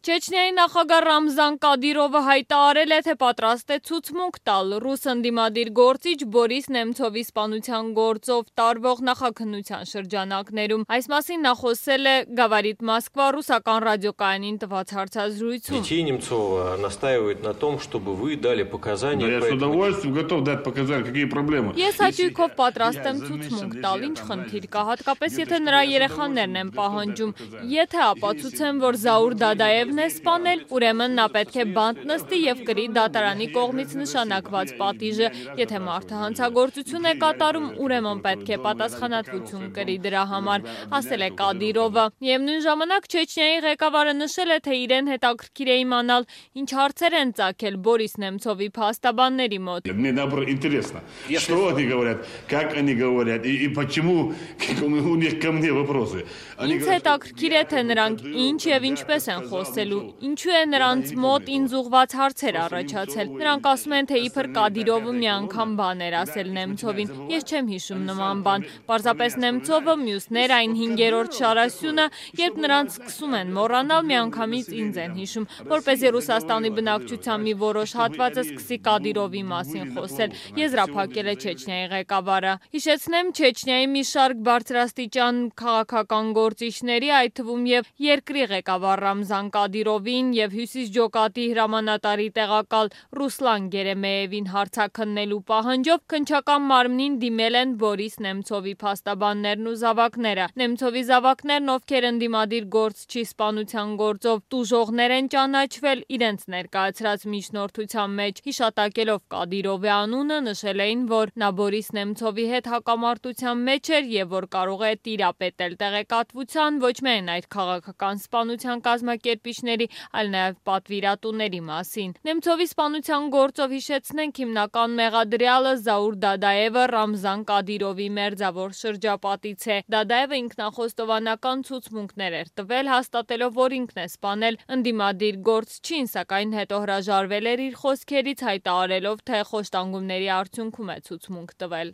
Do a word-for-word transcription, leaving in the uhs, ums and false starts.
Չեչնիայի նախագահ Ռամզան Կադիրովը հայտարարել է, թե պատրաստ է ցուցմունք տալ ռուս ընդդիմադիր գործիչ Բորիս Նեմցովի սպանության գործով տարվող նախաքննության շրջանակներում։ Այս մասին նա խոսել է Գավարիտ Մոսկվա ռուսական ռադիոկայանին տված հարցազրույցում։ Детей Немцова настаивают на том, чтобы вы дали показания. Я с удовольствием готов дать показания, какие проблемы. Ես հաճույքով պատրաստ եմ ցուցմունք տալ, ինչ խնդիր կա, հատկապես եթե նրա երեխաներն են պահանջում։ Եթե ապացուցեմ, որ Զաուր Դադաևն է սպանել, ուրեմն նա պետք է բանտ նստի եւ կրի դատարանի կողմից նշանակված պատիժը։ Եթե մարդը հանցագործություն է կատարում, ուրեմն պետք է պատասխանատվություն կրի դրա համար, ասել է Կադիրովը։ Միևնույն ժամանակ Չեչնիայի ղեկավարը նշել է, թե իրեն հետաքրքիր է իմանալ, ինչ հարցեր են ծագել Բորիս Նեմցովի փաստաբանների մոտ։ Мне наоборот интересно, что они говорят, как они говорят и, и почему у них ко мне вопросы. Ինձ հետաքրքիր է, թե նրանք ինչ եւ ինչպես են խոսելու, ինչու է նրանց մոտ ինձ ուղված հարցեր առաջացել։ Նրանք ասում են, թե իբր Կադիրովը մի անգամ բան էր ասել Նեմցովին։ Ես չեմ հիշում նման բան։ Պարզապես Նեմցովը, մյուսներ այն հինգերորդ շարասյունը, երբ նրանց սկսում են մոռանալ, միանգամից ինձ են հիշում, որպեսզի Ռուսաստանի բնակչության մի որոշ հատվածը սկսի Կադիրովի մասին խոսել, եզրափակել է Չեչնիայի ղեկավարը։ Հիշեցնեմ, Չեչնիայի մի շարք բարձրաստիճան քաղաքական գործիչների, այդ թվում եւ երկրի ղեկավար Ռամզան Կադիրովին եւ Հյուսիս ջոկատի հրամանատարի տեղակալ Ռուսլան Գերեմեևին հարցաքննելու պահանջով քննչական մարմնին դիմել են Բորիս Նեմցովի փաստաբաններն ու զավակները։ Նեմցովի զավակներն, ովքեր ընդդիմադիր գործչի սպանության գործով տուժողներ են ճանաչվել, իրենց ներկայացրած միջնորդության մեջ հիշատակելով Կադիրովի անունը, նշել էին, որ նա Բորիս Նեմցովի հետ հակամարտության մեջ էր եւ որ կարող է տիրապետել տեղեկատվության ոչ միայն այդ քաղաքական սպանության կազմակերպիչների, այլ նաեւ պատվիրատուների մասին։ Նեմցովի սպանության գործով հիշեցնենք հիմնական մեղադրյալը Զաուր Դադաևը Ռամզան Կադիրովի մերձավոր շրջապատից է։ Դադաևը ինքնախոստովանական ցուցմունքներ էր տվել, հաստատելով, որ ինքն է սպանել ընդդիմադիր գործչին, սակայն հետո հրաժարվել էր իր խոսքերից, հայտարարելով, թե խոշտանգումների արդյունքում է ցուցմունք տվել։